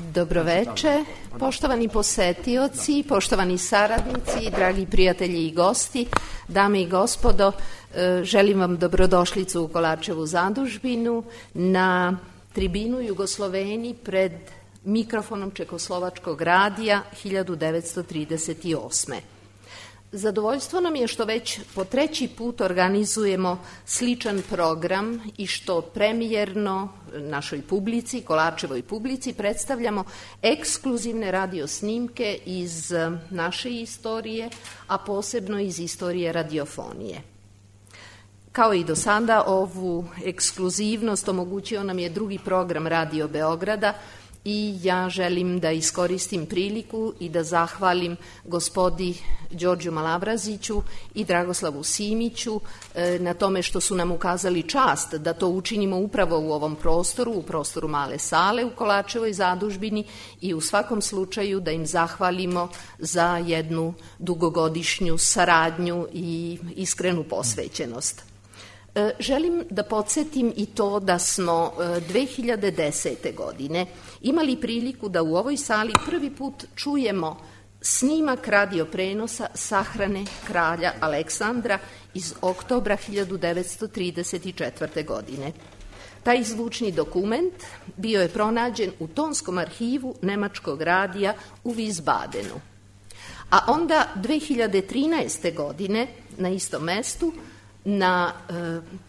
Dobroveče, poštovani posetioci, poštovani saradnici, dragi prijatelji i gosti, dame i gospodo, želim vam dobrodošlicu u Kolarčevu zadužbinu na tribinu Jugosloveni pred mikrofonom Čekoslovačkog radija 1938. Zadovoljstvo nam je što već po treći put organizujemo sličan program i što premijerno našoj publici, Kolarčevoj publici, predstavljamo ekskluzivne radio snimke iz naše istorije, a posebno iz istorije radiofonije. Kao i do sada, ovu ekskluzivnost omogućio nam je drugi program Radio Beograda, i ja želim da iskoristim priliku i da zahvalim gospodi Đorđu Malavraziću i Dragoslavu Simiću na tome što su nam ukazali čast da to učinimo upravo u ovom prostoru, u prostoru Male sale u Kolarčevoj zadužbini, i u svakom slučaju da im zahvalimo za jednu dugogodišnju saradnju i iskrenu posvećenost. Želim da podsjetim i to da smo 2010. godine imali priliku da u ovoj sali prvi put čujemo snimak radioprenosa sahrane kralja Aleksandra iz oktobra 1934. godine. Taj zvučni dokument bio je pronađen u tonskom arhivu Nemačkog radija u Wiesbadenu. A onda 2013. godine na istom mestu na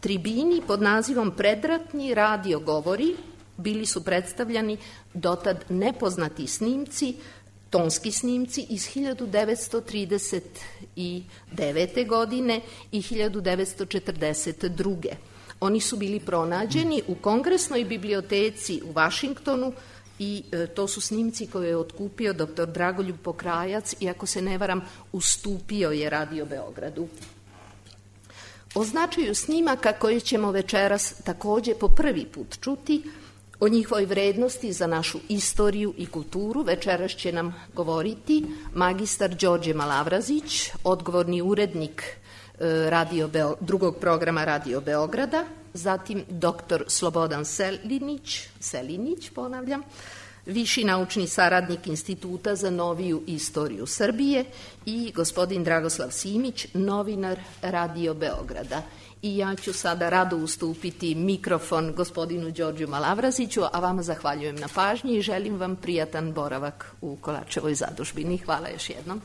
tribini pod nazivom Predratni radio govori bili su predstavljani dotad nepoznati snimci, tonski snimci iz 1939. godine i 1942. Oni su bili pronađeni u Kongresnoj biblioteci u Vašingtonu i to su snimci koje je otkupio dr. Dragoljub Pokrajac i, ako se ne varam, ustupio je Radio Beogradu. O značaju snimaka koje ćemo večeras takođe po prvi put čuti, o njihovoj vrednosti za našu istoriju i kulturu, večeras će nam govoriti magistar Đorđe Malavrazić, odgovorni urednik drugog programa Radio Beograda, zatim dr. Slobodan Selinić, viši naučni saradnik Instituta za noviju istoriju Srbije, i gospodin Dragoslav Simić, novinar Radio Beograda. I ja ću sada rado ustupiti mikrofon gospodinu Đorđu Malavraziću, a vama zahvaljujem na pažnji i želim vam prijatan boravak u Kolarčevoj zadužbini. Hvala još jednom.